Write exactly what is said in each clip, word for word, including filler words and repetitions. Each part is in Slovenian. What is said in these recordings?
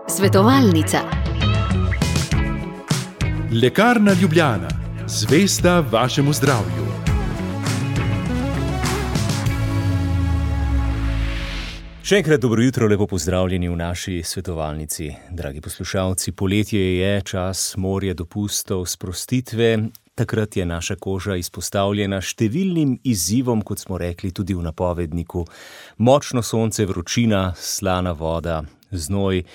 Svetovalnica. Lekarna Ljubljana, zvesta vašemu zdravju. Še enkrat dobro jutro, lepo pozdravljeni v naši svetovalnici. Dragi poslušalci, poletje je čas morja, dopustov, sprostitve. Takrat je naša koža izpostavljena številnim izzivom, kot smo rekli tudi v napovedniku. Močno sonce, vročina, slana voda, znoj.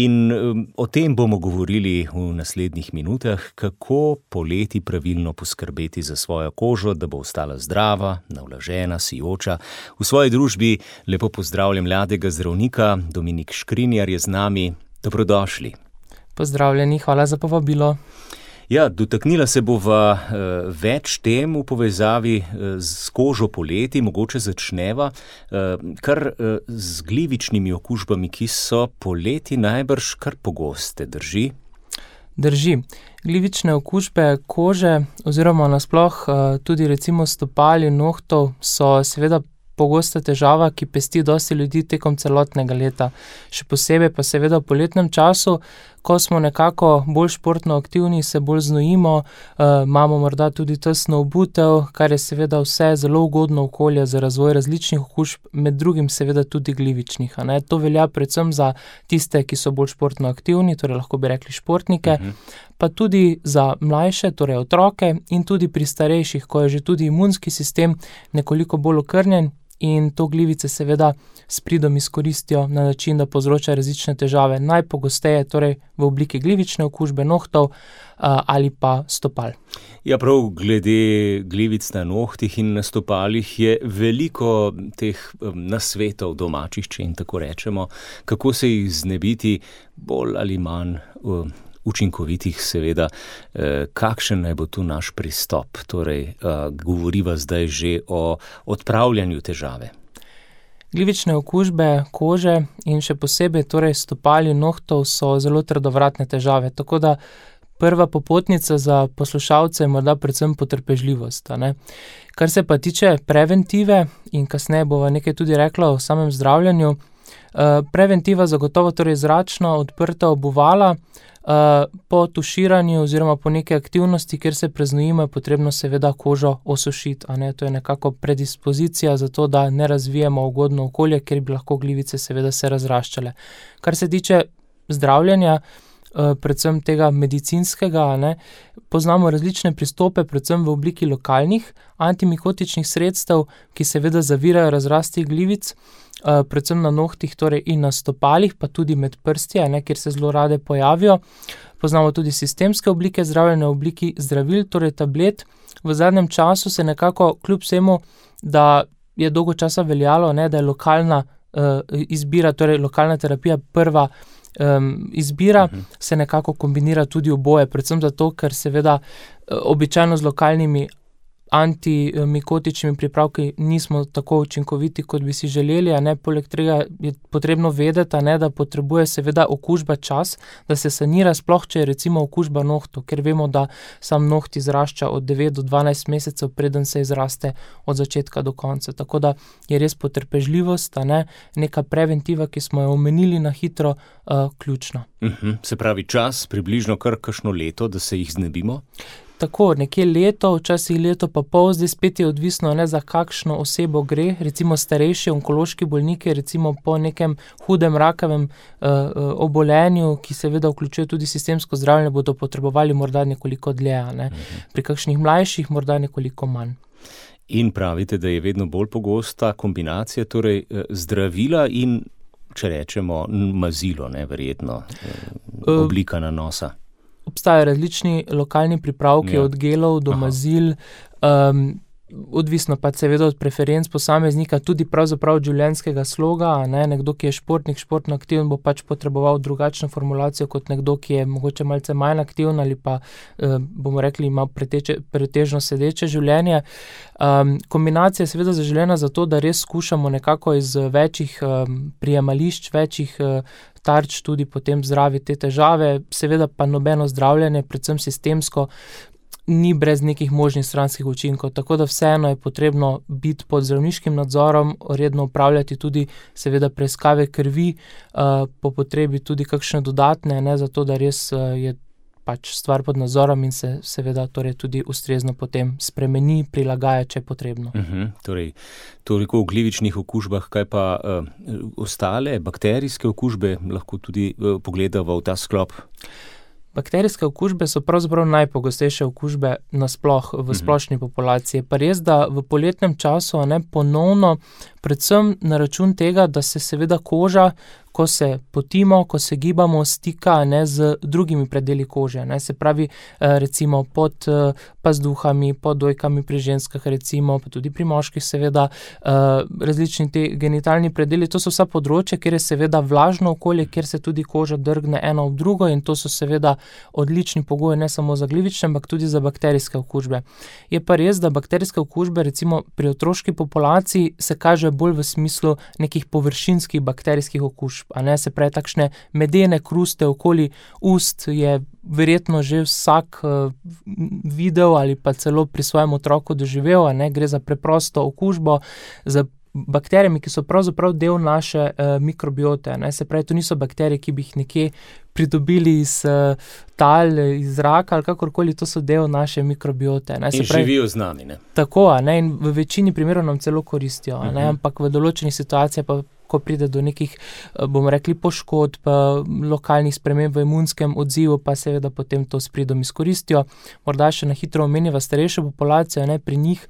In um, o tem bomo govorili v naslednjih minutah, kako poleti pravilno poskrbeti za svojo kožo, da bo ostala zdrava, navlažena, sijoča. V svoji družbi lepo pozdravljam mladega zdravnika, Dominik Škrinjar je z nami. Dobrodošli. Pozdravljeni, hvala za povabilo. Ja, dotaknila se bova uh, več tem v povezavi uh, z kožo poleti, mogoče začneva, uh, kar uh, z glivičnimi okužbami, ki so poleti najbrž kar pogoste, drži? Drži. Glivične okužbe kože oziroma nasploh uh, tudi recimo stopal in nohtov so seveda pogosta težava, ki pesti dosti ljudi tekom celotnega leta. Še posebej pa seveda v poletnem času, ko smo nekako bolj športno aktivni, se bolj znojimo, uh, imamo morda tudi tesno obutev, kar je seveda vse zelo ugodno okolje za razvoj različnih okužb, med drugim seveda tudi glivičnih. A ne? To velja predvsem za tiste, ki so bolj športno aktivni, torej lahko bi rekli športnike, uh-huh. pa tudi za mlajše, torej otroke in tudi pri starejših, ko je že tudi imunski sistem nekoliko bolj okrnjen, in to glivice seveda s pridom izkoristijo na način, da povzroča različne težave, najpogosteje torej v obliki glivične okužbe nohtov a, ali pa stopal. Ja, prav glede glivic na nohtih in na stopalih je veliko teh nasvetov domačih, če in tako rečemo, kako se jih znebiti bolj ali manj uh, učinkovitih, seveda, eh, kakšen naj bo tu naš pristop. Torej, eh, govoriva zdaj že o odpravljanju težave. Glivične okužbe kože in še posebej torej stopal in nohtov so zelo trdovratne težave, tako da prva popotnica za poslušalce je morda predvsem potrpežljivost. A ne? Kar se pa tiče preventive in kasneje bova nekaj tudi rekla o samem zdravljenju, eh, preventiva zagotovo torej zračna, odprta obuvala, Uh, po tuširanju oziroma po neke aktivnosti, kjer se preznojimo, je potrebno seveda kožo osušiti, a ne, to je nekako predispozicija za to, da ne razvijemo ugodno okolje, kjer bi lahko glivice seveda se razraščale. Kar se tiče zdravljenja, uh, predvsem tega medicinskega, a ne, poznamo različne pristope, predvsem v obliki lokalnih antimikotičnih sredstev, ki seveda zavirajo razrasti glivic, Uh, predvsem na nohtih torej in na stopalih, pa tudi med prsti, ne, kjer se zelo rade pojavijo. Poznamo tudi sistemske oblike zdravljenja v obliki zdravil, torej tablet. V zadnjem času se nekako kljub vsemu, da je dolgo časa veljalo, ne, da je lokalna uh, izbira, torej lokalna terapija prva um, izbira, uh-huh. se nekako kombinira tudi oboje, predvsem zato, ker seveda uh, običajno z lokalnimi antimikotičnimi pripravki nismo tako učinkoviti, kot bi si želeli, a ne, poleg tega je potrebno vedeti, a ne, da potrebuje seveda okužba čas, da se sanira, sploh če je recimo okužba nohtov, ker vemo, da sam noht izrašča od devet do dvanajst mesecev, preden se izraste od začetka do konca. Tako da je res potrpežljivost, a ne, neka preventiva, ki smo jo omenili na hitro, uh, ključna. Uh-huh. Se pravi čas, približno kar kakšno leto, da se jih znebimo? Tako, nekje leto, včasih leto pa pol, zdaj spet je odvisno, ne, za kakšno osebo gre, recimo starejši onkološki bolniki, recimo po nekem hudem rakavem uh, obolenju, ki seveda vključuje tudi sistemsko zdravljenje, bodo potrebovali morda nekoliko dlje, ne. Pri kakšnih mlajših morda nekoliko manj. In pravite, da je vedno bolj pogosta kombinacija, torej zdravila in, če rečemo, mazilo, ne, verjetno, oblika nanosa. Obstajajo različni lokalni pripravki, ja. Od gelov do Aha. mazil, um, odvisno pa seveda od preferenc posameznika, tudi pravzaprav od življenjskega sloga, ne? Nekdo, ki je športnik, športno aktiven, bo pač potreboval drugačno formulacijo kot nekdo, ki je mogoče malce manj aktiven ali pa, eh, bomo rekli, ima preteče, pretežno sedeče življenje. Um, kombinacija je seveda zaželena zato, da res skušamo nekako iz večjih um, prijemališč, večjih uh, tarč tudi potem zdraviti te težave, seveda pa nobeno zdravljenje, predvsem sistemsko, ni brez nekih možnih stranskih učinkov, tako da vseeno je potrebno biti pod zdravniškim nadzorom, redno upravljati tudi seveda preiskave krvi, uh, po potrebi tudi kakšne dodatne, ne, zato da res uh, je pač stvar pod nadzorom in se seveda torej tudi ustrezno potem spremeni, prilagaja, če je potrebno. Uh-huh, torej, toliko o glivičnih okužbah, kaj pa uh, ostale bakterijske okužbe, lahko tudi uh, pogledamo v ta sklop? Bakterijske okužbe so pravzaprav najpogostejše okužbe nasploh v splošni populaciji. Pa res, da v poletnem času ne, ponovno, predvsem na račun tega, da se seveda koža, ko se potimo, ko se gibamo, stika ne, z drugimi predeli kože. Ne. Se pravi, recimo pod pazduhami, pod dojkami pri ženskah, recimo, pa tudi pri moških seveda, različni te genitalni predeli. To so vsa področja, kjer je seveda vlažno okolje, kjer se tudi koža drgne eno ob drugo in to so seveda odlični pogoji ne samo za glivične, ampak tudi za bakterijske okužbe. Je pa res, da bakterijske okužbe recimo pri otroški populaciji se kaže bolj v smislu nekih površinskih bakterijskih okužb, a ne, se pravi takšne medene kruste okoli ust je verjetno že vsak uh, videl ali pa celo pri svojem otroku doživel, a ne, gre za preprosto okužbo z bakterijami, ki so pravzaprav del naše uh, mikrobiote, ne, se pravi, to niso bakterije, ki bi jih nekje pridobili iz uh, tal, iz zraka ali kakorkoli, to so del naše mikrobiote. Ne, se in pravi, živijo z nami, ne? Tako, a ne, in v večini primerov nam celo koristijo, a ne, uh-huh. ampak v določenih situacijah pa ko pride do nekih, bomo rekli, poškodb, lokalnih sprememb v imunskem odzivu, pa seveda potem to s pridom izkoristijo. Morda še na hitro omeniva starejšo populacijo, ne, pri njih,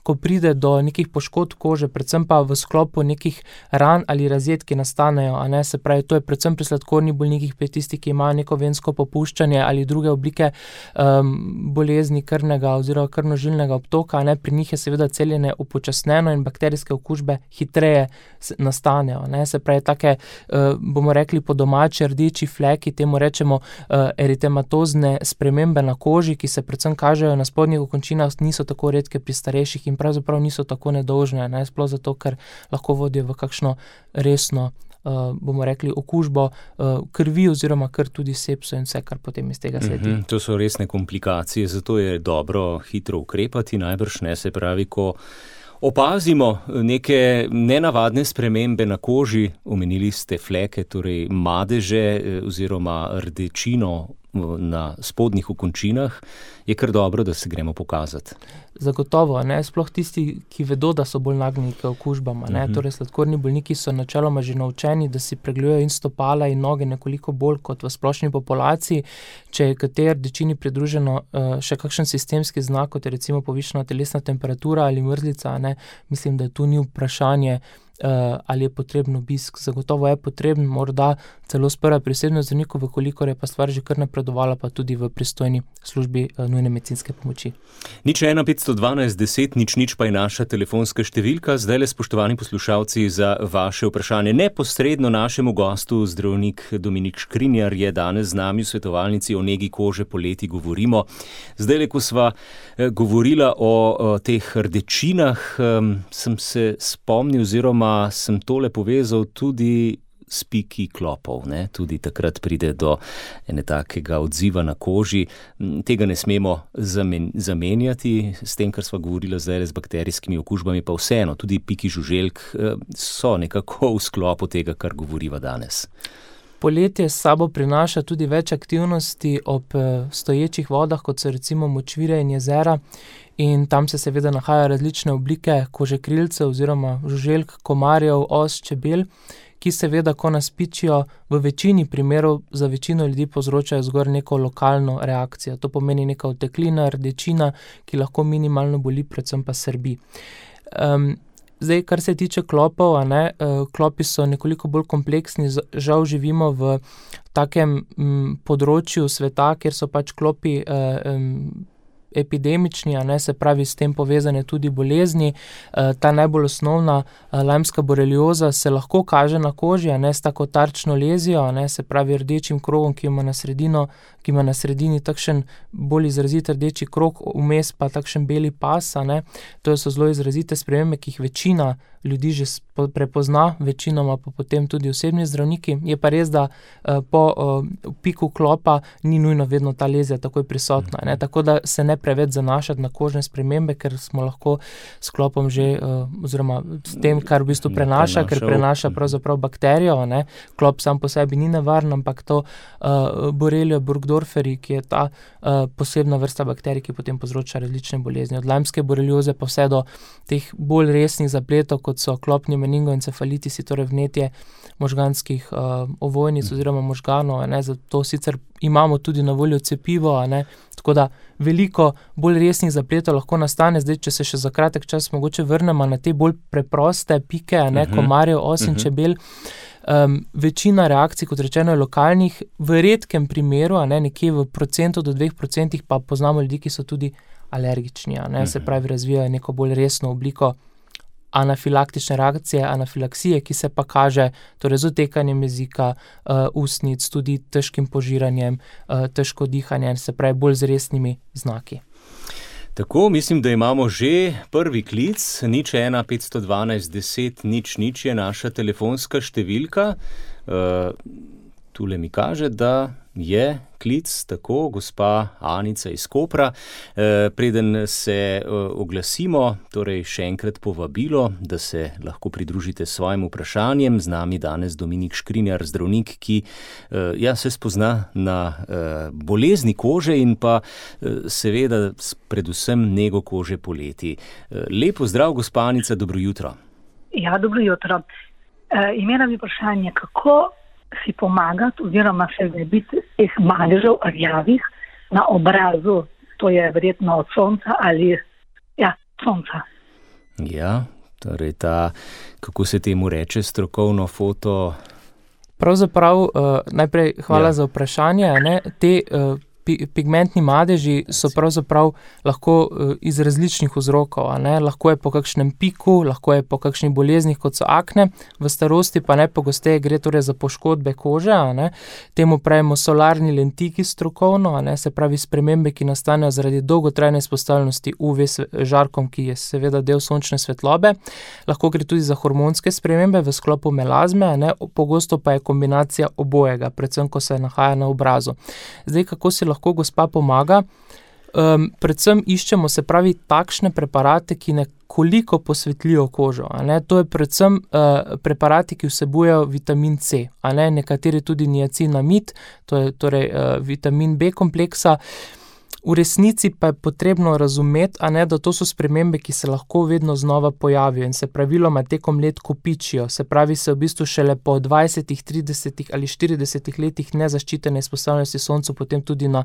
ko pride do nekih poškodb kože, predvsem pa v sklopu nekih ran ali razjed, ki nastanejo, a ne, se pravi, to je predvsem pri sladkornih bolnikih, pri tistih, ki imajo neko vensko popuščanje ali druge oblike um, bolezni krvnega oziroma krvnožilnega obtoka, a ne, pri njih je seveda celjenje upočasneno in bakterijske okužbe hitreje nastanejo, ne, se pravi, take, uh, bomo rekli po domači rdeči fleki, temu rečemo uh, eritematozne spremembe na koži, ki se predvsem kažejo na spodnjih okončinah, niso tako redke pri starejših in pravzaprav niso tako nedolžne, ne, sploh zato, ker lahko vodijo v kakšno resno, uh, bomo rekli, okužbo uh, krvi oziroma kar tudi sepso in vse, kar potem iz tega sledi. Mm-hmm, to so resne komplikacije, zato je dobro hitro ukrepati, najbrž ne, se pravi, ko opazimo neke nenavadne spremembe na koži, omenili ste fleke, torej madeže oziroma rdečino na spodnjih okončinah, je kar dobro, da se gremo pokazati. Zagotovo, ne, sploh tisti, ki vedo, da so bolj nagnjeni k okužbama, ne, uh-huh. torej sladkorni bolniki so načeloma že naučeni, da si pregledujejo in stopala in noge nekoliko bolj kot v splošni populaciji. Če je k tej rdečini pridruženo uh, še kakšen sistemski znak, kot je recimo povišana telesna temperatura ali mrzlica, ne, mislim, da tu ni vprašanje, Uh, ali je potreben obisk. Zagotovo je potreben, morda celo sprva pri osebnem zdravniku, vkolikor je pa stvar že kar napredovala, pa tudi v pristojni službi uh, nujne medicinske pomoči. Nič ena petsto dvanajst deset, nič nič pa je naša telefonska številka. Zdaj le, spoštovani poslušalci, za vaše vprašanje. Neposredno našemu gostu, zdravnik Dominik Škrinjar, je danes z nami v svetovalnici o negi kože poleti govorimo. Zdaj le, ko sva eh, govorila o, o teh rdečinah, um, sem se spomnil oziroma sem tole povezal tudi s piki klopov, ne? Tudi takrat pride do ene takega odziva na koži. Tega ne smemo zamen- zamenjati s tem, kar sva govorila zdaj z bakterijskimi okužbami, pa vseeno, tudi piki žuželk so nekako v sklopu tega, kar govoriva danes. Poletje s sabo prinaša tudi več aktivnosti ob stoječih vodah, kot so recimo močvire in jezera, in tam se seveda nahajajo različne oblike kožekrilcev oziroma žuželk, komarjev, os, čebel, ki seveda, ko nas pičijo, v večini primerov za večino ljudi povzročajo zgolj neko lokalno reakcijo. To pomeni neka oteklina, rdečina, ki lahko minimalno boli, predvsem pa srbi. Um, Zdaj, kar se tiče klopov, a ne, klopi so nekoliko bolj kompleksni, žal živimo v takem m, področju sveta, kjer so pač klopi eh, em, epidemični, a ne, se pravi s tem povezane tudi bolezni. E, ta najbolj osnovna e, lajmska borelioza se lahko kaže na koži, a ne, s tako tarčno lezijo, a ne, se pravi rdečim krogom, ki ima na sredino, ki ima na sredini takšen bolj izrazit rdeči krog, vmes pa takšen beli pas, a ne. To so zelo izrazite spremembe, ki jih večina ljudi že prepozna, večinoma pa potem tudi osebni zdravniki. Je pa res, da uh, po uh, piku klopa ni nujno vedno ta lezija takoj prisotna, ne? Tako da se ne preveč zanašati na kožne spremembe, ker smo lahko s klopom že, uh, oziroma s tem, kar v bistvu prenaša, ker prenaša pravzaprav bakterijo, ne? Klop sam po sebi ni nevaren, ampak to uh, Borrelia burgdorferi, ki je ta uh, posebna vrsta bakterij, ki potem povzroča različne bolezni. Od lajmske borelioze pa vse do teh bolj resnih zapletov, kot so klopni meningoencefalitisi, torej vnetje možganskih uh, ovojnic oziroma možganov, ne, zato sicer imamo tudi na voljo cepivo, ne, tako da veliko bolj resnih zapletov lahko nastane. Zdaj, če se še za kratek čas mogoče vrnemo na te bolj preproste pike, ne, uh-huh. komarjev, os in uh-huh. čebel, um, večina reakcij, kot rečeno, je lokalnih, v redkem primeru, ne, nekje v procentu do dveh procentih pa poznamo ljudi, ki so tudi alergični, ne, uh-huh. se pravi, razvijajo neko bolj resno obliko anafilaktične reakcije, anafilaksije, ki se pa kaže torej z otekanjem jezika, uh, ustnic, tudi težkim požiranjem, uh, težko dihanje, se pravi bolj z resnimi znaki. Tako, mislim, da imamo že prvi klic, nič ena petsto dvanajst deset nič nič je naša telefonska številka. Uh, tule mi kaže, da je klic, tako, gospa Anica iz Kopra. E, preden se e, oglasimo, torej še enkrat povabilo, da se lahko pridružite s svojim vprašanjem. Z nami danes Dominik Škrinjar, zdravnik, ki e, ja, se spozna na e, bolezni kože in pa e, seveda predvsem nego kože poleti. E, lepo zdrav, gospa Anica, dobro jutro. Ja, dobro jutro. E, imela bi vprašanje, kako si pomagati oziroma se znebiti teh madežev rjavih na obrazu, to je verjetno od sonca ali ja, sonca. Ja, torej ta, kako se temu reče, strokovno foto. Pravzaprav, uh, najprej hvala ja. za vprašanje, ne? Te uh, pigmentni madeži so pravzaprav lahko iz različnih vzrokov, ne? Lahko je po kakšnem piku, lahko je po kakšnih boleznih, kot so akne, v starosti pa najpogosteje gre torej za poškodbe kože, ne? Temu pravimo solarni lentiki strokovno, ne? Se pravi spremembe, ki nastanejo zaradi dolgotrajne izpostavljenosti U V žarkom, ki je seveda del sončne svetlobe. Lahko gre tudi za hormonske spremembe v sklopu melazme, ne? Pogosto pa je kombinacija obojega, predvsem ko se nahaja na obrazu. Zdaj, kako si lahko lahko gospa pomaga. Um, predvsem iščemo, se pravi, takšne preparate, ki nekoliko posvetlijo kožo. A ne? To je predvsem uh, preparati, ki vsebujejo vitamin C, a ne? Nekateri tudi niacinamid, to je torej uh, vitamin B kompleksa. V resnici pa je potrebno razumeti, a ne, da to so spremembe, ki se lahko vedno znova pojavijo in se praviloma tekom let kopičijo. Se pravi, se v bistvu šele po dvajsetih, tridesetih ali štiridesetih letih nezaščitene izpostavljenosti soncu potem tudi na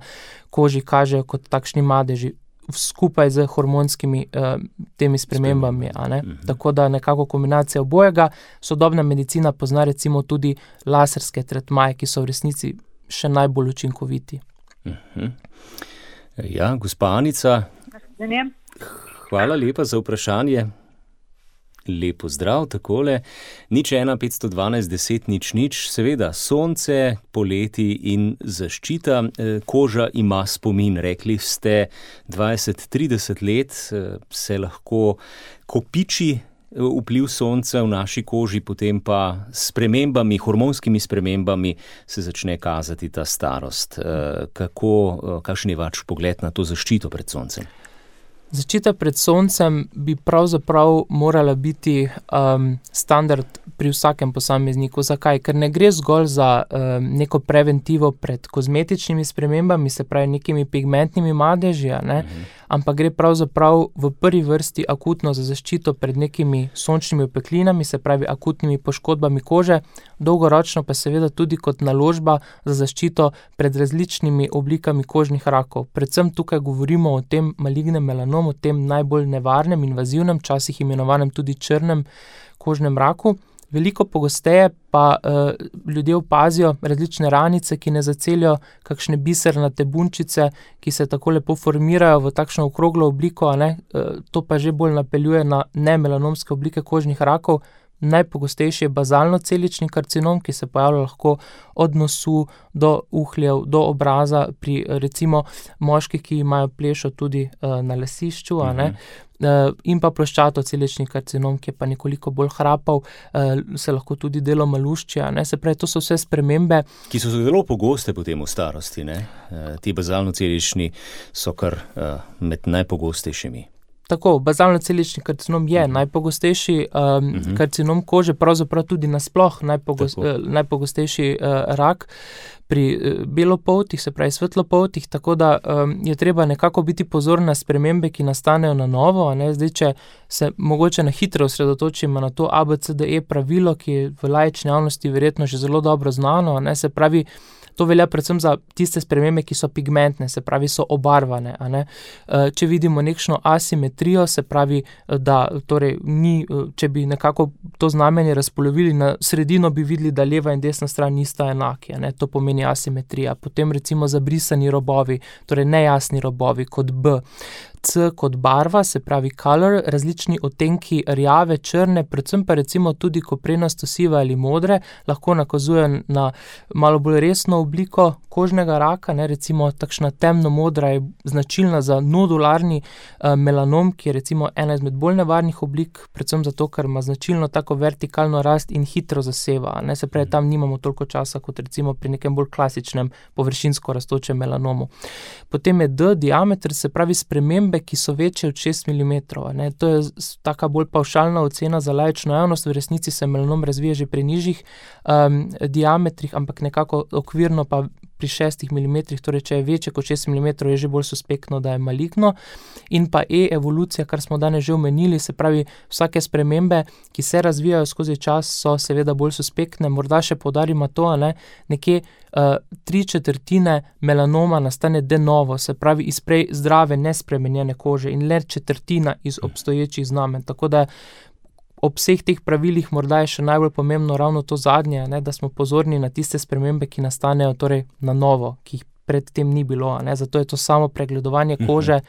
koži kažejo kot takšni madeži skupaj z hormonskimi uh, temi spremembami. A ne? Mhm. Tako da nekako kombinacija obojega. Sodobna medicina pozna recimo tudi laserske tretmaje, ki so v resnici še najbolj učinkoviti. Mhm. Ja, gospa Anica, hvala lepa za vprašanje. Lepo zdrav, takole. Nič ena petsto dvanajst deset nič nič, seveda sonce, poleti in zaščita. Koža ima spomin, rekli ste dvajset trideset let, se lahko kopiči vpliv sonca v naši koži, potem pa s spremembami, hormonskimi spremembami se začne kazati ta starost. Kako, kakšen je vaš pogled na to zaščito pred soncem? Zaščita pred soncem bi pravzaprav morala biti um, standard pri vsakem posamezniku. Zakaj? Ker ne gre zgolj za um, neko preventivo pred kozmetičnimi spremembami, se pravi nekimi pigmentnimi madeži, ne? Mhm. Ampak gre pravzaprav v prvi vrsti akutno za zaščito pred nekimi sončnimi opeklinami, se pravi akutnimi poškodbami kože, dolgoročno pa seveda tudi kot naložba za zaščito pred različnimi oblikami kožnih rakov. Predvsem tukaj govorimo o tem malignem melanomu, o tem najbolj nevarnem, invazivnem, včasih imenovanem tudi črnem kožnem raku. Veliko pogosteje pa uh, ljudje opazijo različne ranice, ki ne zacelijo kakšne bisernate bunčice, ki se tako lepo formirajo v takšno okroglo obliko, a ne? Uh, to pa že bolj napeljuje na nemelanomske oblike kožnih rakov. najpogostejši je bazalno-celični karcinom, ki se pojavlja lahko od nosu do uhljev, do obraza pri recimo moških, ki imajo plešo tudi uh, na lasišču, a ne, uh, in pa ploščato-celični karcinom, ki je pa nekoliko bolj hrapav, uh, se lahko tudi deloma lušči, a ne, se pravi, to so vse spremembe. Ki so zelo pogoste potem v starosti, ne? Uh, ti bazalno-celični so kar uh, med najpogostejšimi. Tako, bazalno-celični karcinom je uh-huh. najpogostejši um, uh-huh. karcinom kože, pravzaprav tudi nasploh najpogost, uh, najpogostejši uh, rak pri uh, belopoltih, se pravi svetlopoltih, tako da um, je treba nekako biti pozoren na spremembe, ki nastanejo na novo, a ne, zdaj, če se mogoče na hitro osredotočimo na to A B C D E pravilo, ki je v laični javnosti verjetno že zelo dobro znano, a ne, se pravi, to velja predvsem za tiste spremembe, ki so pigmentne, se pravi, so obarvane, a ne. Če vidimo nekšno asimetrijo, se pravi, da torej ni, če bi nekako to znamenje razpolovili na sredino, bi videli, da leva in desna stran nista enaki, a ne, to pomeni asimetrija. Potem recimo zabrisani robovi, torej nejasni robovi kot B. C kot barva, se pravi color, različni odtenki rjave, črne, predvsem pa recimo tudi koprenasto sive ali modre, lahko nakazujejo na malo bolj resno obliko kožnega raka, ne, recimo takšna temno modra je značilna za nodularni uh, melanom, ki je recimo ena izmed bolj nevarnih oblik, predvsem zato, ker ima značilno tako vertikalno rast in hitro zaseva, ne, se pravi, tam nimamo toliko časa kot recimo pri nekem bolj klasičnem površinsko rastočem melanomu. Potem je D, diameter, se pravi spremembe, ki so večje od šest milimetrov. Ne. To je taka bolj pavšalna ocena za laično javnost, v resnici se melanom razvija že pri nižjih um, diametrih, ampak nekako okvirno pa pri šestih milimetrih, torej če je večje kot šest milimetrov, je že bolj suspektno, da je maligno. In pa E, evolucija, kar smo danes že omenili, se pravi, vsake spremembe, ki se razvijajo skozi čas, so seveda bolj suspektne. Morda še poudarimo to, a ne, nekje uh, tri četrtine melanoma nastane de novo, se pravi iz prej zdrave, nespremenjene kože in le četrtina iz obstoječih znamen. Tako da ob vseh teh pravilih morda je še najbolj pomembno ravno to zadnje, ne, da smo pozorni na tiste spremembe, ki nastanejo torej na novo, ki jih predtem ni bilo, ne, zato je to samo pregledovanje kože.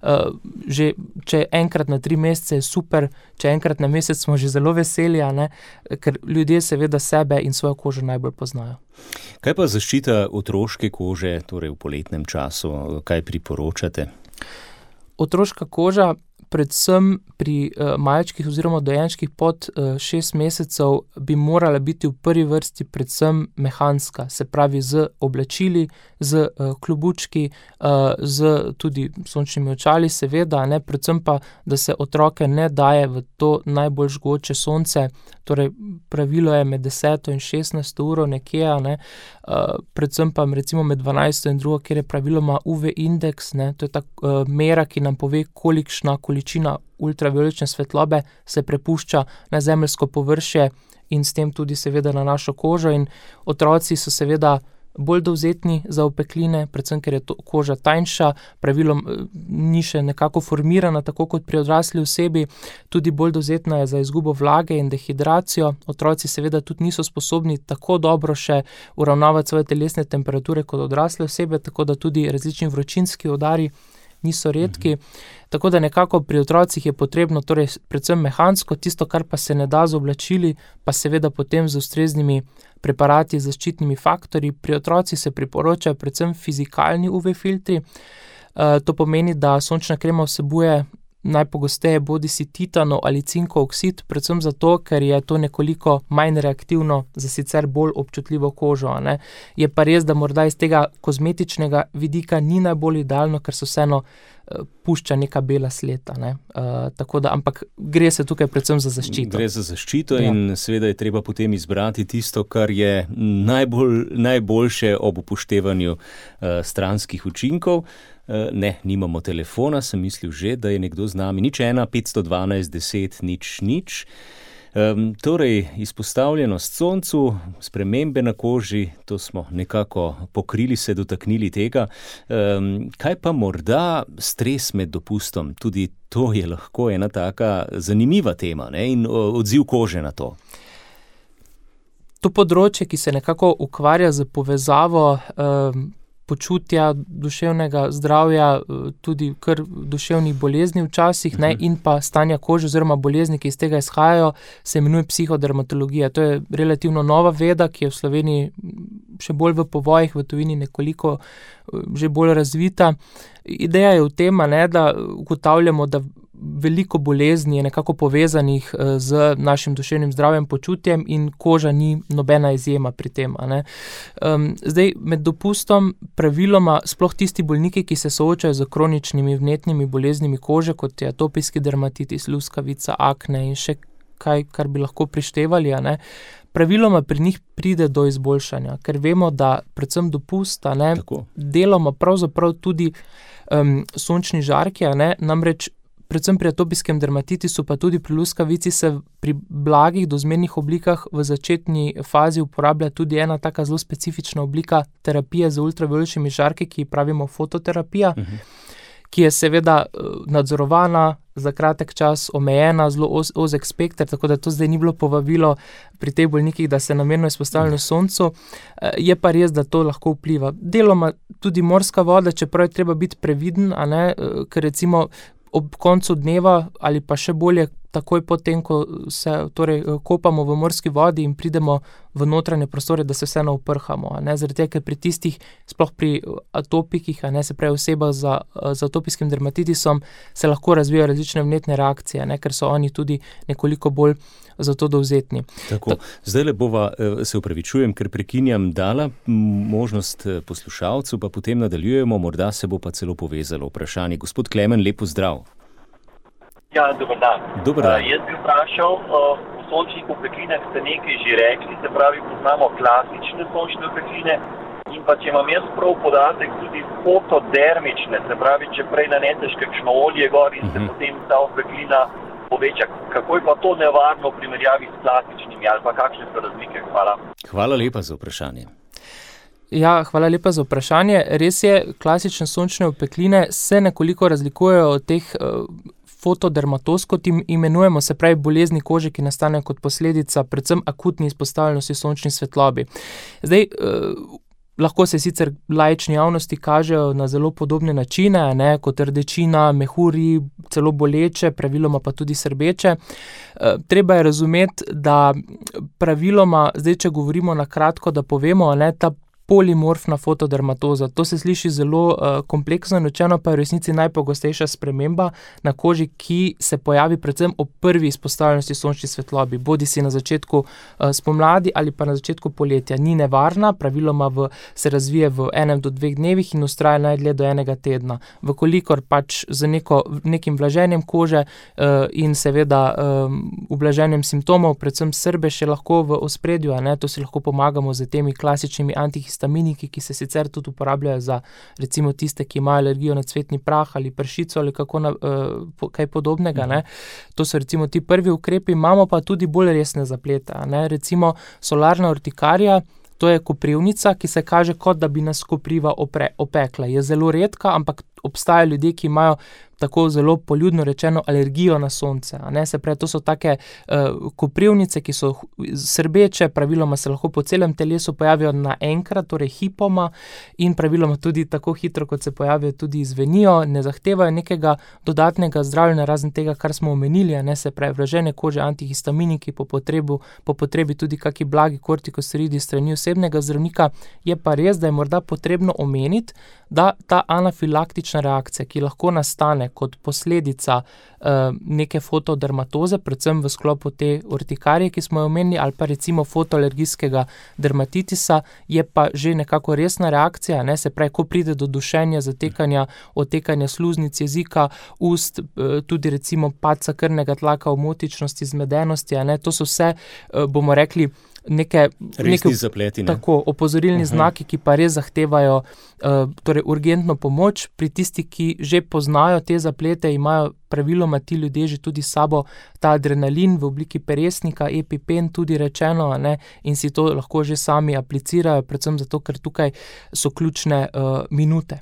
Uh, že, če enkrat na tri mesece je super, če enkrat na mesec smo že zelo veseli, a ne, ker ljudje seveda sebe in svojo kožo najbolj poznajo. Kaj pa zaščita otroške kože, torej v poletnem času, kaj priporočate? Otroška koža, predvsem pri uh, malčkih oziroma dojenčkih pod uh, šest mesecev bi morala biti v prvi vrsti predvsem mehanska, se pravi z oblačili, z uh, klobučki, uh, z tudi sončnimi očali seveda, ne, predvsem pa, da se otroke ne daje v to najbolj žgoče sonce, torej pravilo je med deseto in šestnajsto uro nekje, ne, uh, predvsem pa recimo med dvanajsto in drugo, kjer je praviloma U V indeks, ne, to je ta uh, mera, ki nam pove, kolikšna količina ultraviolečne svetlobe se prepušča na zemeljsko površje in s tem tudi seveda na našo kožo, in otroci so seveda bolj dovzetni za opekline, predvsem ker je to koža tanjša, pravilom ni še nekako formirana, tako kot pri odrasli osebi, tudi bolj dovzetna je za izgubo vlage in dehidracijo. Otroci seveda tudi niso sposobni tako dobro še uravnavati svoje telesne temperature kot odrasle osebe, tako da tudi različni vročinski udari niso redki, mm-hmm. tako da nekako pri otrocih je potrebno torej predvsem mehansko, tisto, kar pa se ne da z oblačili, pa seveda potem z ustreznimi preparati, zaščitnimi faktorji. Pri otrocih se priporočajo predvsem fizikalni U V filtri, e, to pomeni, da sončna krema vsebuje najpogosteje bodisi titanov ali cinkov oksid, predvsem zato, ker je to nekoliko manj reaktivno za sicer bolj občutljivo kožo, a ne. Je pa res, da morda iz tega kozmetičnega vidika ni najbolj idealno, ker se vseeno uh, pušča neka bela sled, a ne. Uh, tako da, ampak gre se tukaj predvsem za zaščito. Gre za zaščito, ja. In seveda je treba potem izbrati tisto, kar je najbolj, najboljše ob upoštevanju uh, stranskih učinkov. Ne, nimamo telefona, sem mislil že, da je nekdo z nami. Nič ena, petsto dvanajst, deset, nič, nič. Um, torej, izpostavljenost soncu, spremembe na koži, to smo nekako pokrili, se dotaknili tega. Um, kaj pa morda stres med dopustom? Tudi to je lahko ena taka zanimiva tema, ne? In odziv kože na to. To področje, ki se nekako ukvarja z povezavo um, počutja, duševnega zdravja, tudi kar duševnih bolezni včasih, ne, in pa stanja kože oziroma bolezni, ki iz tega izhajajo, se imenuje psihodermatologija. To je relativno nova veda, ki je v Sloveniji še bolj v povojih, v tujini nekoliko že bolj razvita. Ideja je v tem, ne, da ugotavljamo, da veliko bolezni je nekako povezanih z našim duševnim zdravjem, počutjem in koža ni nobena izjema pri tem. A ne. Um, zdaj, med dopustom praviloma sploh tisti bolniki, ki se soočajo z kroničnimi vnetnimi boleznimi kože, kot je atopijski dermatitis, luskavica, akne in še kaj, kar bi lahko prištevali, a ne, praviloma pri njih pride do izboljšanja, ker vemo, da predvsem dopust, a ne, deloma pravzaprav tudi um, sončni žarki, a ne, namreč predvsem pri atopijskem dermatitisu, pa tudi pri luskavici se pri blagih dozmernih oblikah v začetni fazi uporablja tudi ena taka zelo specifična oblika terapije z ultravioletnimi žarki, ki pravimo fototerapija, uh-huh. ki je seveda nadzorovana, za kratek čas omejena, zelo oz, ozek spekter, tako da to zdaj ni bilo povabilo pri teh bolnikih, da se namerno izpostavljajo soncu. Je pa res, da to lahko vpliva. Deloma tudi morska voda, čeprav je treba biti previden, a ne, ker recimo ob koncu dneva ali pa še bolje takoj potem, ko se torej kopamo v morski vodi in pridemo v notranje prostore, da se vseeno uprhamo. A ne, zaradi tega, ker pri tistih, sploh pri atopikih, a ne, se pravi oseba za, za atopijskim dermatitisom, se lahko razvijajo različne vnetne reakcije, ne, ker so oni tudi nekoliko bolj za to dovzetni. Tako, zdaj le bova, se upravičujem, ker prekinjam, dala možnost poslušalcu, pa potem nadaljujemo, morda se bo pa celo povezalo vprašanje. Gospod Klemen, lepo zdrav. Ja, dober dan. Dober dan. Uh, jaz bi vprašal, uh, v sončnih opeklinah ste nekaj že rekli, se pravi, poznamo klasične sončne opekline in pa če imam jaz prav podatek, tudi fotodermične, se pravi, če prej naneteš kakšno olje gor in se uh-huh. potem ta opeklina poveča. Kako je pa to nevarno v primerjavi s klasičnimi ali pa kakšne so razlike? Hvala. Hvala lepa za vprašanje. Ja, hvala lepa za vprašanje. Res je, klasične sončne opekline se nekoliko razlikujejo od teh uh, fotodermatoz, kot jim imenujemo, se pravi bolezni kože, ki nastanejo kot posledica predvsem akutni izpostavljenosti sončni svetlobi. Zdaj, eh, lahko se sicer laični javnosti kažejo na zelo podobne načine, ne, kot rdečina, mehuri, celo boleče, praviloma pa tudi srbeče. Eh, treba je razumeti, da praviloma, zdaj, če govorimo na kratko, da povemo, ne, ta polimorfna fotodermatoza. To se sliši zelo uh, kompleksno in učeno, pa je v resnici najpogostejša sprememba na koži, ki se pojavi predvsem ob prvi izpostavljenosti sončni svetlobi, bodi si na začetku uh, spomladi ali pa na začetku poletja. Ni nevarna, praviloma v, se razvije v enem do dveh dnevih in ustraja najdlje do enega tedna. Vkolikor pač z neko, nekim vlaženjem kože uh, in seveda um, ublaženjem simptomov, predvsem srbe še lahko v ospredju, a ne, to si lahko pomagamo z temi klasičnimi antihistaminiki, histaminiki, ki se sicer tudi uporabljajo za recimo tiste, ki imajo alergijo na cvetni prah ali pršico ali kako na, uh, kaj podobnega. Ne. To so recimo ti prvi ukrepi, imamo pa tudi bolj resne zaplete. Ne. Recimo solarna urtikarija, to je koprivnica, ki se kaže kot da bi nas kopriva opre, opekla. Je zelo redka, ampak obstajajo ljudje, ki imajo tako zelo poljudno rečeno alergijo na sonce. A ne? Se pravi, to so take uh, koprivnice, ki so srbeče, praviloma se lahko po celem telesu pojavijo naenkrat, torej hipoma, in praviloma tudi tako hitro, kot se pojavijo, tudi izvenijo, ne zahtevajo nekega dodatnega zdravljenja, razen tega, kar smo omenili, a ne, se pravi, vlažene kože, antihistaminiki, po, potrebu, po potrebi tudi kaki blagi kortikosteroidi strani osebnega zdravnika. Je pa res, da je morda potrebno omeniti, da ta anafilaktična reakcija, ki lahko nastane kot posledica uh, neke fotodermatoze, predvsem v sklopu te urtikarije, ki smo jo omenili, ali pa recimo fotoalergijskega dermatitisa, je pa že nekako resna reakcija, ne? Se pravi, ko pride do dušenja, zatekanja, otekanja sluznic jezika, ust, uh, tudi recimo padca krvnega tlaka, omotičnosti, zmedenosti, a ne? To so vse, uh, bomo rekli, neke, neke zapleti, ne? Tako, opozorilni uh-huh. znaki, ki pa res zahtevajo uh, torej urgentno pomoč. Pri tisti, ki že poznajo te zaplete, imajo praviloma ti ljudje že tudi sabo ta adrenalin v obliki peresnika, EpiPen tudi rečeno, a ne, in si to lahko že sami aplicirajo, predvsem zato, ker tukaj so ključne uh, minute.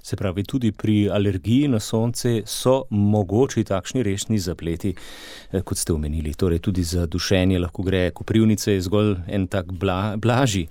Se pravi, tudi pri alergiji na sonce so mogoči takšni resni zapleti, kot ste omenili. Torej tudi za dušenje lahko gre, koprivnice je zgolj en tak bla, blažji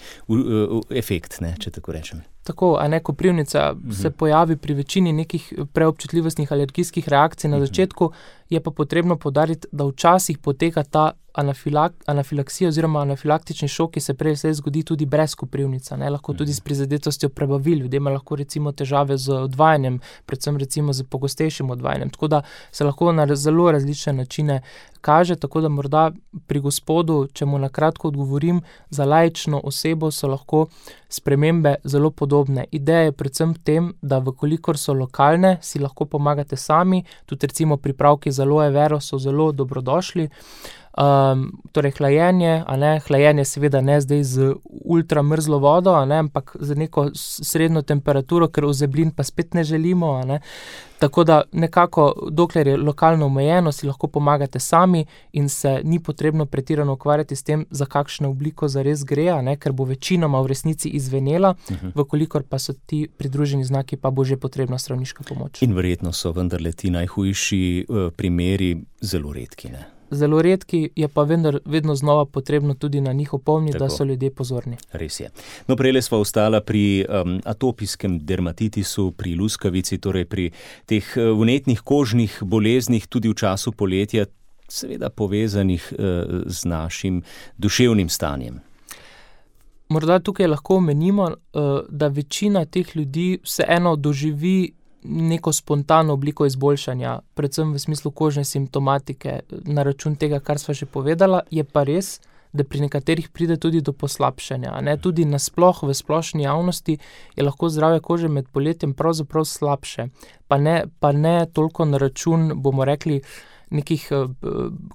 efekt, ne, če tako rečem. Tako, a ne, koprivnica uh-huh. se pojavi pri večini nekih preobčutljivostnih alergijskih reakcij na uh-huh. začetku, je pa potrebno poudariti, da včasih poteka ta anafilak, anafilaksija oziroma anafilaktični šok, ki se prej vse zgodi tudi brez koprivnica, ne, lahko tudi s prizadetostjo prebavil, ljudem lahko recimo težave z odvajanjem, predvsem recimo z pogostejšim odvajanjem, tako da se lahko na zelo različne načine kaže, tako da morda pri gospodu, če mu na kratko odgovorim, za laično osebo so lahko spremembe zelo podobne. Ideja je predvsem v tem, da vkolikor so lokalne, si lahko pomagate sami, tudi recimo pripravki za aloe vero so zelo dobrodošli. Um, torej hlajenje, a ne, hlajenje seveda ne zdaj z ultra mrzlo vodo, a ne, ampak z neko srednjo temperaturo, ker ozeblin pa spet ne želimo, a ne. Tako da nekako, dokler je lokalno omejeno, si lahko pomagate sami in se ni potrebno pretirano ukvarjati s tem, za kakšno obliko zares gre, a ne, ker bo večinoma v resnici izvenela, uh-huh. vkolikor pa so ti pridruženi znaki, pa bo že potrebna zdravniška pomoč. In verjetno so vendarle ti najhujši uh, primeri zelo redki, ne? Zelo redki, je pa vendar, vedno znova potrebno tudi na njih opomniti, da so ljudje pozorni. Res je. No, prejle sva ostala pri um, atopijskem dermatitisu, pri luskavici, torej pri teh vnetnih kožnih boleznih tudi v času poletja, seveda povezanih uh, z našim duševnim stanjem. Morda tukaj lahko omenimo, uh, da večina teh ljudi vseeno doživi neko spontano obliko izboljšanja, predvsem v smislu kožne simptomatike, na račun tega, kar sva že povedala, je pa res, da pri nekaterih pride tudi do poslabšanja. Ne? Tudi nasploh v splošni javnosti je lahko zdravje kože med poletjem pravzaprav slabše, pa ne, pa ne toliko na račun, bomo rekli, nekih uh,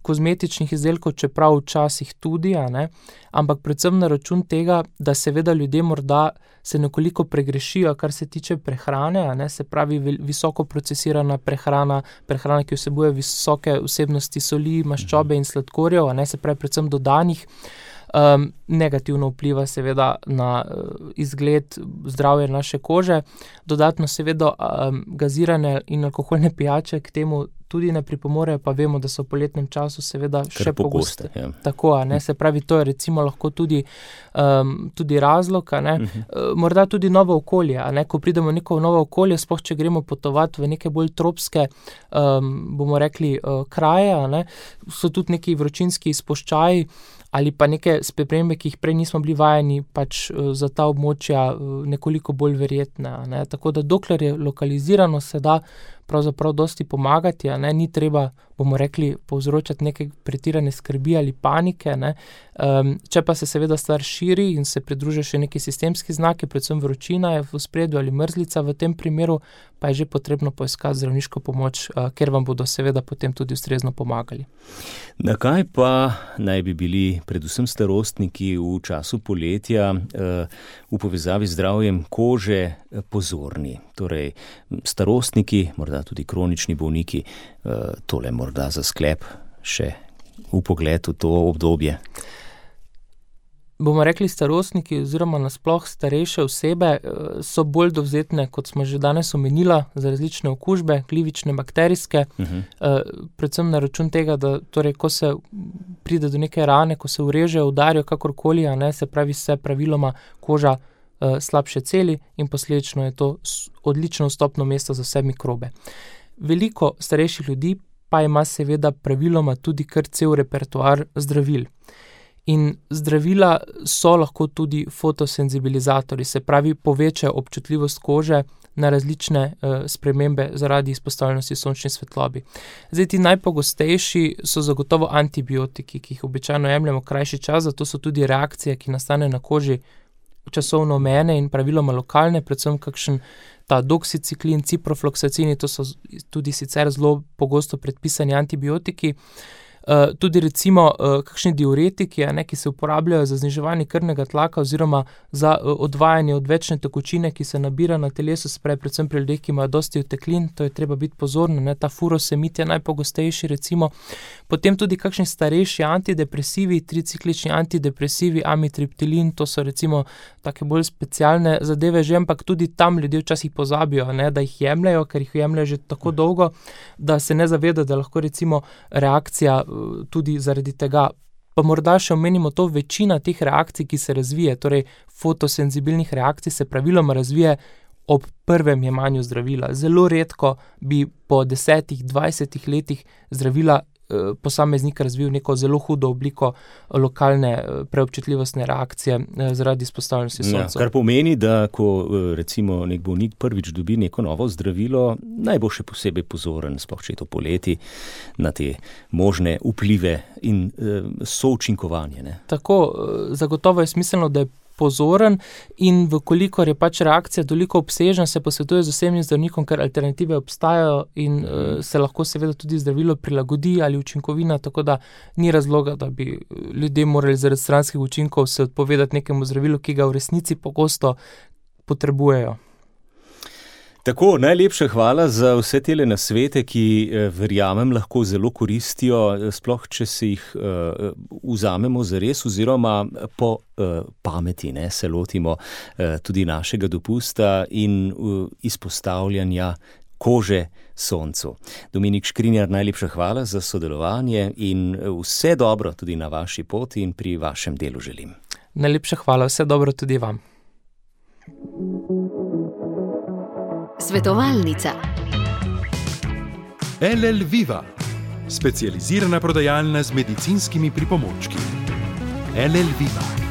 kozmetičnih izdelkov, čeprav včasih tudi, a ne, ampak predvsem na račun tega, da seveda ljudje morda se nekoliko pregrešijo, kar se tiče prehrane, a ne, se pravi visoko procesirana prehrana, prehrana, ki vsebuje visoke vsebnosti soli, maščobe in sladkorjev, a ne, se pravi predvsem dodanih, um, negativno vpliva seveda na uh, izgled, zdravje naše kože, dodatno seveda um, gazirane in alkoholne pijače k temu tudi ne pripomorejo, pa vemo, da so v poletnem času seveda še pogoste. Ja. Tako, a ne, se pravi, to je recimo lahko tudi, um, tudi razlog, a ne, uh-huh. uh, morda tudi novo okolje, a ne, ko pridemo v neko novo okolje, sploh če gremo potovati v neke bolj tropske, um, bomo rekli, uh, kraje, a ne, so tudi neki vročinski izpuščaji ali pa neke spremembe, ki jih prej nismo bili vajeni, pač uh, za ta območja uh, nekoliko bolj verjetne, a ne, tako da dokler je lokalizirano, se da pravzaprav dosti pomagati, a ne, ni treba, bomo rekli, povzročati neke pretirane skrbi ali panike, ne. Um, če pa se seveda stvar širi in se pridružijo še neki sistemski znaki, predvsem vročina je v ospredju ali mrzlica v tem primeru, pa je že potrebno poiskati zdravniško pomoč, uh, ker vam bodo seveda potem tudi ustrezno pomagali. Na kaj pa naj bi bili predvsem starostniki v času poletja uh, v povezavi z zdravjem kože pozorni? Torej, starostniki, morda tudi kronični bolniki, uh, tole morda za sklep še v pogled v to obdobje. Bomo rekli, starostniki oziroma nasploh starejše osebe so bolj dovzetne, kot smo že danes omenila, za različne okužbe, glivične, bakterijske, uh-huh. predvsem na račun tega, da torej, ko se pride do neke rane, ko se urežejo, udarijo kakorkoli, a ne, se pravi, se praviloma koža uh, slabše celi in posledično je to odlično vstopno mesto za vse mikrobe. Veliko starejših ljudi pa ima seveda praviloma tudi kar cel repertoar zdravil. In zdravila so lahko tudi fotosenzibilizatorji, se pravi povečajo občutljivost kože na različne uh, spremembe zaradi izpostavljenosti sončni svetlobi. Zdaj ti najpogostejši so zagotovo antibiotiki, ki jih običajno jemljemo krajši čas, zato so tudi reakcije, ki nastane na koži časovno omejene in praviloma lokalne, predvsem kakšen ta doksiciklin, ciprofloksacini, to so tudi sicer zelo pogosto predpisani antibiotiki. Uh, tudi recimo uh, kakšni diuretiki, a ne, ki se uporabljajo za zniževanje krvnega tlaka oziroma za uh, odvajanje odvečne tekočine, ki se nabira na telesu, se pravi predvsem pri ljudeh, ki imajo dosti oteklin, to je treba biti pozorno, ne, ta furosemid je najpogostejši recimo. Potem tudi kakšni starejši antidepresivi, triciklični antidepresivi, amitriptilin, to so recimo take bolj specialne zadeve že, ampak tudi tam ljudje včasih pozabijo, ne, da jih jemljajo, ker jih jemljajo že tako dolgo, da se ne zaveda, da lahko recimo reakcija tudi zaradi tega Pa morda še omenimo to, večina teh reakcij, ki se razvije, torej fotosenzibilnih reakcij, se praviloma razvije ob prvem jemanju zdravila. Zelo redko bi po desetih, dvajsetih letih zdravila eh, posameznik razvil neko zelo hudo obliko lokalne eh, preobčutljivostne reakcije eh, zaradi izpostavljenosti soncu. Ja, kar pomeni, da ko eh, recimo nek bolnik prvič dobi neko novo zdravilo, naj bo še posebej pozoren, sploh če je to poleti, na te možne vplive in eh, součinkovanje. Ne? Tako, eh, zagotovo je smiselno, da je pozoren in vkolikor je pač reakcija toliko obsežna, se posvetuje z osebnim zdravnikom, ker alternative obstajajo in uh, se lahko seveda tudi zdravilo prilagodi ali učinkovina, tako da ni razloga, da bi ljudje morali zaradi stranskih učinkov se odpovedati nekemu zdravilu, ki ga v resnici pogosto potrebujejo. Tako, najlepša hvala za vse tele nasvete, ki verjamem lahko zelo koristijo, sploh če se jih uh, vzamemo zares oziroma po uh, pameti, ne, se lotimo uh, tudi našega dopusta in uh, izpostavljanja kože soncu. Dominik Škrinjar, najlepša hvala za sodelovanje in vse dobro tudi na vaši poti in pri vašem delu želim. Najlepša hvala, vse dobro tudi vam. Svetovalnica. L L Viva, specializirana prodajalna z medicinskimi pripomočki. L L Viva.